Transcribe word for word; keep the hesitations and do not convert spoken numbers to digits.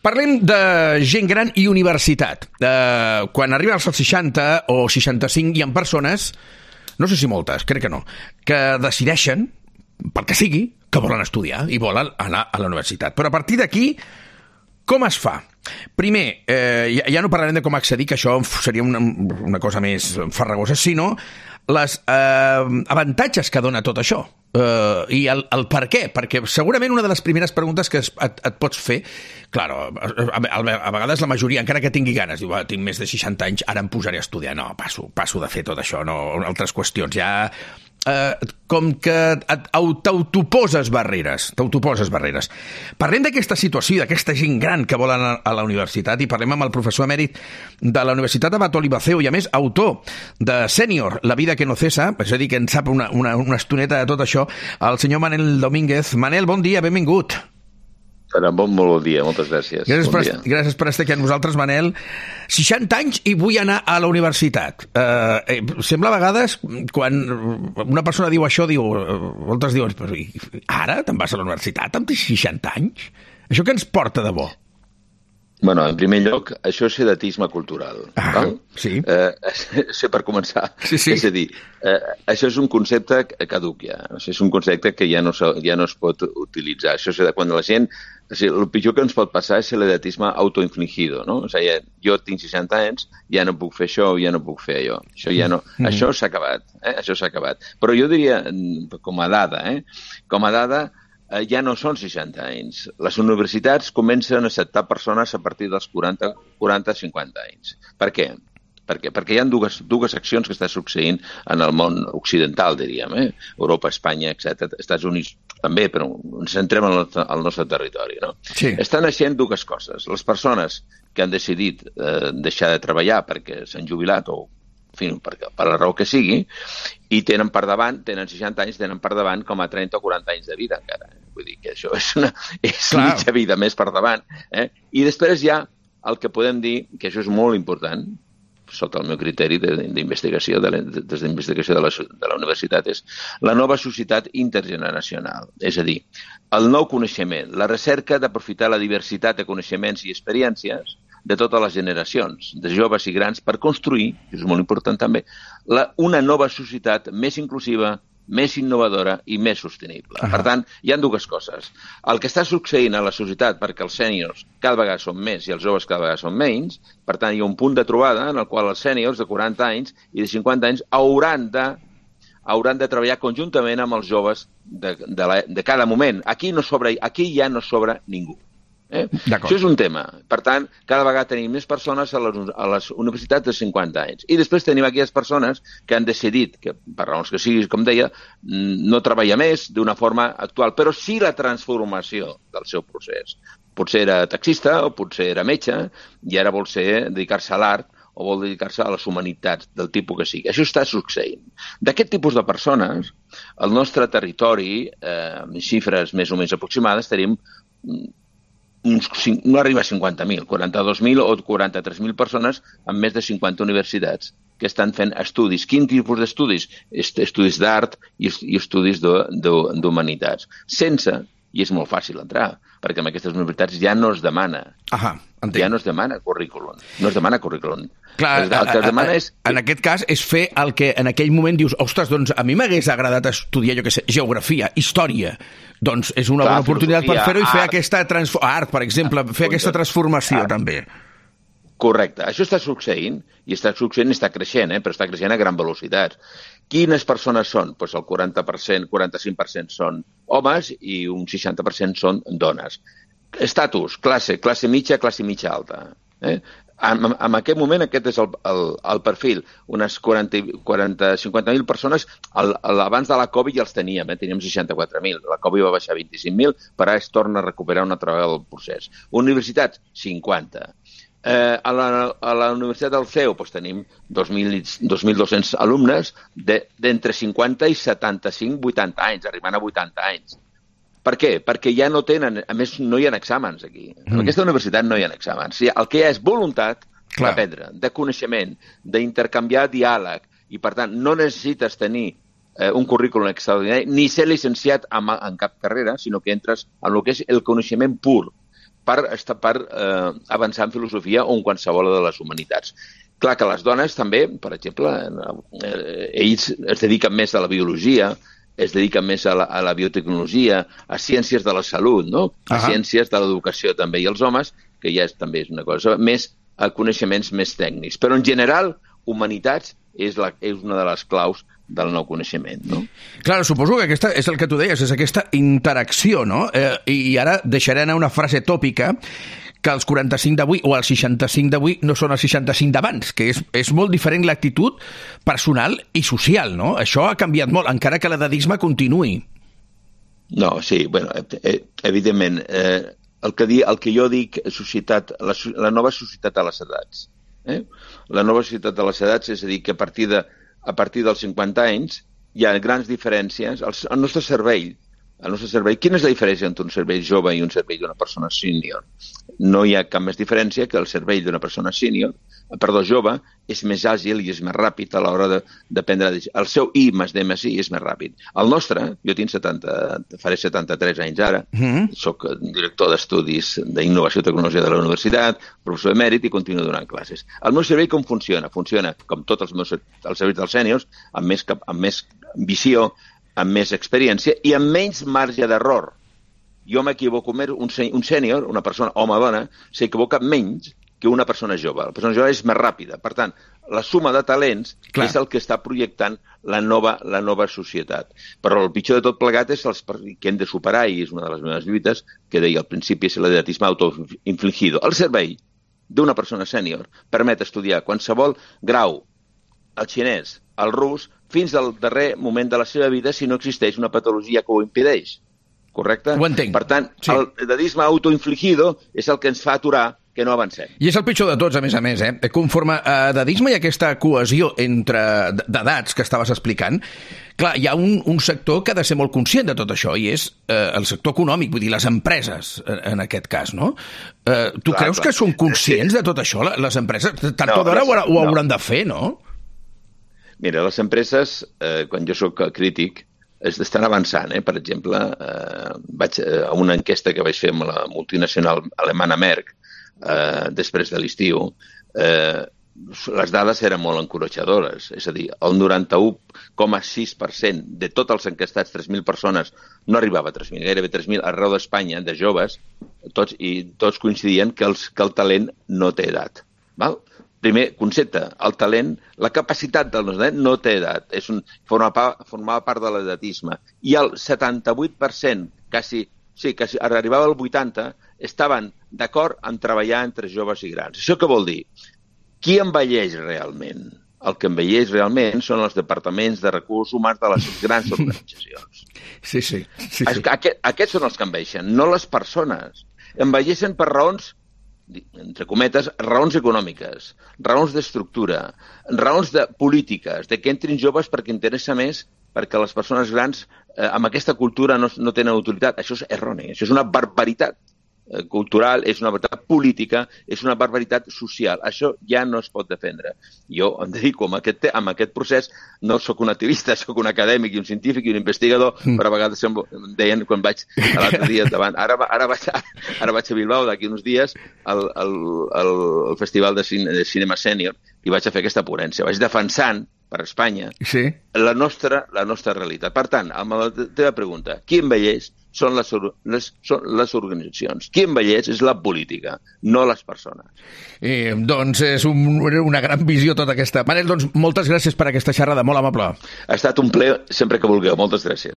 Parlem de gent gran i universitat. Uh, quan arriben als seixanta o seixanta-cinc hi ha persones, no sé si moltes, crec que no, que decideixen, pel que sigui, que volen estudiar i volen anar a la universitat. Però a partir d'aquí, com es fa? Primer, eh, ja, ja no parlarem de com accedir, que això seria una, una cosa més farragosa, sinó les eh, avantatges que dona tot això. Uh, i el, el per què, perquè segurament una de les primeres preguntes que es, et, et pots fer, claro, a, a, a vegades la majoria, encara que tingui ganes, diu, ah, tinc més de seixanta anys, ara em posaré a estudiar. No, passo, passo de fer tot això, no, altres qüestions, ja Uh, com que t'autoposes barreres, t'autoposes barreres. Parlem d'aquesta situació, d'aquesta gent gran que vol anar a la universitat, i parlem amb el professor emèrit de la Universitat Abat Oliba C E U i, a més, autor de Sènior, La vida que no cesa, és a dir, que en sap una, una, una estoneta de tot això, el senyor Manel Domínguez. Manel, bon dia, benvingut. Bon, molt bon dia, moltes gràcies. Gràcies, bon per, dia. gràcies per estar aquí amb nosaltres, Manel. seixanta anys i vull anar a la universitat. Uh, eh, sembla a vegades, quan una persona diu això, diu, moltes diuen, però ara te'n vas a la universitat amb seixanta anys? Això què ens porta de bo? Bueno, en primer lloc, això és sedatisme cultural. Ah, val? sí. Eh, això per començar. Sí, sí. És a dir, eh, això és un concepte caduc ja. És un concepte que ja no, ja no es pot utilitzar. Això és de quan la gent... O sigui, el pitjor que ens pot passar és l'edatisme autoinfligido, no? O sigui, jo tinc seixanta anys, ja no puc fer això, ja no puc fer allò. Això ja no... Mm. Això s'ha acabat, eh? Això s'ha acabat. Però jo diria, com a dada, eh? Com a dada, eh, ja no són seixanta anys. Les universitats comencen a acceptar persones a partir dels quaranta a cinquanta anys. Per què? Per què? Perquè hi ha dues, dues accions que està succeint en el món occidental, diríem, eh? Europa, Espanya, etcètera, Estats Units també, però ens centrem al nostre, al nostre territori, no? Sí. Estan naixent dues coses. Les persones que han decidit eh, deixar de treballar perquè s'han jubilat o en fi, per, per la raó que sigui, i tenen per davant, tenen seixanta anys, tenen per davant com a trenta o quaranta anys de vida encara. Vull dir que això és una és mitja vida més per davant. Eh? I després hi ha el que podem dir, que això és molt important, sota el meu criteri d'investigació, de, de, des d'investigació de, la, de la universitat, és la nova societat intergeneracional. És a dir, el nou coneixement, la recerca d'aprofitar la diversitat de coneixements i experiències de totes les generacions, de joves i grans, per construir, que és molt important també, la, una nova societat més inclusiva, més innovadora i més sostenible. Uh-huh. Per tant, hi ha dues coses. El que està succeint a la societat, perquè els sèniors cada vegada són més i els joves cada vegada són menys, per tant, hi ha un punt de trobada en el qual els sèniors de quaranta anys i de cinquanta anys hauran de, hauran de treballar conjuntament amb els joves de, de, la, de cada moment. Aquí, no sobra, aquí ja no sobra ningú. Eh? Això és un tema. Per tant, cada vegada tenim més persones a les, a les universitats de cinquanta anys. I després tenim aquelles persones que han decidit, que per raons que siguis, com deia, no treballar més d'una forma actual, però sí la transformació del seu procés. Potser era taxista o potser era metge i ara vol ser dedicar-se a l'art o vol dedicar-se a les humanitats del tipus que sigui. Això està succeint. D'aquest tipus de persones, al nostre territori, eh, amb xifres més o menys aproximades, tenim uns, no arriba a cinquanta mil, quaranta-dos mil o quaranta-tres mil persones amb més de cinquanta universitats que estan fent estudis. Quin tipus d'estudis? Estudis d'art i estudis d'humanitats. Sense, i és molt fàcil entrar, perquè en aquestes universitats ja no es demana. Ahà, entenc. Ja no es demana currículum. No es demana currículum. Clar, el que es demana és... En aquest cas és fer el que en aquell moment dius, ostres, doncs a mi m'hagués agradat estudiar, jo què sé, geografia, història. Doncs és una Clar, bona oportunitat per fer-ho i fer art. aquesta transformació. Art, per exemple, fer aquesta transformació art. també. Correcte. Això està succeint, i està succeint i està creixent, eh? Però està creixent a gran velocitat. Quines persones són? Pues el quaranta per cent, quaranta-cinc per cent són homes i un seixanta per cent són dones. Estatus, classe, classe mitja, classe mitja alta. Eh? En, en aquest moment aquest és el, el, el perfil. Unes quaranta, quaranta, cinquanta mil persones, el, el, abans de la Covid ja els teníem, eh? Teníem seixanta-quatre mil. La Covid va baixar a vint-i-cinc mil, però ara es torna a recuperar una altra vegada el procés. Universitats, cinquanta. Eh, a, la, a la Universitat del C E U doncs, tenim dos mil dos-cents alumnes d'entre de, cinquanta i setanta-cinc a vuitanta anys, arribant a vuitanta anys. Per què? Perquè ja no tenen, a més no hi ha exàmens aquí. En mm. aquesta universitat no hi ha exàmens. El que hi ha és voluntat d'aprendre, de coneixement, d'intercanviar diàleg, i per tant no necessites tenir eh, un currículum extraordinari ni ser llicenciat en, en cap carrera, sinó que entres en el que és el coneixement pur. per, per eh, avançar en filosofia o en qualsevol de les humanitats. Clar que les dones també, per exemple, eh, ells es dediquen més a la biologia, es dediquen més a la, a la biotecnologia, a ciències de la salut, no? A uh-huh. ciències de l'educació també, i els homes, que ja és, també és una cosa, més a coneixements més tècnics. Però en general, humanitats és, la, és una de les claus del nou coneixement, no? Clar, suposo que aquesta és el que tu deies, és aquesta interacció, no? Eh, I ara deixaré anar una frase tòpica, que els quaranta-cinc d'avui o els seixanta-cinc d'avui no són els seixanta-cinc d'abans, que és, és molt diferent l'actitud personal i social, no? Això ha canviat molt, encara que l'edadisme continuï. No, sí, bueno, evidentment, eh, el, que di, el que jo dic, societat, la, la nova societat a les edats. Eh? La nova societat a les edats, és a dir, que a partir, de, a partir dels cinquanta anys hi ha grans diferències. El, el nostre cervell, el nostre cervell, quina és la diferència entre un cervell jove i un cervell d'una persona sènior? No hi ha cap més diferència que el cervell d'una persona sènior, perdó, jove, és més àgil i és més ràpid a l'hora de, de prendre decisions. El seu I més D més I és més ràpid. El nostre, jo tinc setanta, faré setanta-tres anys ara, mm-hmm. soc director d'estudis d'innovació i tecnologia de la universitat, professor emèrit i continuo donant classes. El meu cervell com funciona? Funciona, com tots els meus els cervells dels sèniors, amb més, amb més visió, amb més experiència i amb menys marge d'error. Jo m'equivoco més, un, un sènior, una persona, home o dona, s'equivoca menys que una persona jove. La persona jove és més ràpida. Per tant, la suma de talents Clar. és el que està projectant la nova, la nova societat. Però el pitjor de tot plegat és els que hem de superar, i és una de les meves lluites, que deia al principi, és l'edatisme autoinfligido. El cervell d'una persona sènior permet estudiar qualsevol grau, el xinès, el rus, fins al darrer moment de la seva vida si no existeix una patologia que ho impedeix. Correcte? Ho entenc. Per tant, sí. el edadisme autoinfligido és el que ens fa aturar que no avancem. I és el pitjor de tots, a més a més, eh? Conforme a edadisme i aquesta cohesió entre d'edats que estaves explicant, clar, hi ha un, un sector que ha de ser molt conscient de tot això, i és eh, el sector econòmic, vull dir, les empreses, en aquest cas, no? Eh, tu clar, creus clar. que són conscients sí. de tot això, les empreses? Tard o d'hora ho, ho hauran no. de fer, no? Mira, les empreses, eh, quan jo sóc crític, estan avançant. Eh? Per exemple, eh, vaig a una enquesta que vaig fer amb la multinacional alemana Merck, eh, després de l'estiu, eh, les dades eren molt encoratjadores. És a dir, el noranta-u coma sis per cent de tots els enquestats, tres mil persones, no arribava a tres mil, gairebé tres mil arreu d'Espanya, de joves, tots, i tots coincidien que, els, que el talent no té edat. Val? Primer concepte, el talent, la capacitat del nostre talent no té edat, és un, formava, part, formava part de l'edatisme. I el setanta-vuit per cent, quasi, sí, quasi arribava al vuitanta per cent, estaven d'acord en treballar entre joves i grans. Això què vol dir? Qui envelleix realment? El que envelleix realment són els departaments de recursos humans de les grans organitzacions. Sí, sí. sí, sí. Aquest, aquests són els que envelleixen, no les persones. Envelleixen per raons, entre cometes, raons econòmiques, raons d'estructura, raons de polítiques, de que entrin joves perquè interessa més, perquè les persones grans eh, amb aquesta cultura no, no tenen autoritat. Això és erroni, això és una barbaritat eh, cultural, és una barbaritat política, és una barbaritat social. Això ja no es pot defendre. Jo em dedico a aquest, a aquest procés, no sóc un activista, sóc un acadèmic i un científic i un investigador, mm. però a vegades em deien quan vaig l'altre dia davant. Ara, ara, vaig, ara vaig a Bilbao d'aquí uns dies al, al, al, al Festival de, Cine, de Cinema Sènior i vaig a fer aquesta ponència. Vaig defensant per Espanya sí. la, nostra, la nostra realitat. Per tant, amb la teva pregunta, qui envelleix són les, les, són les organitzacions. Qui envelleix és la política, no les persones. Eh, doncs és un, una gran visió tota aquesta. Manel, doncs moltes gràcies per aquesta xerrada, molt amable. Ha estat un plaer sempre que vulgueu. Moltes gràcies.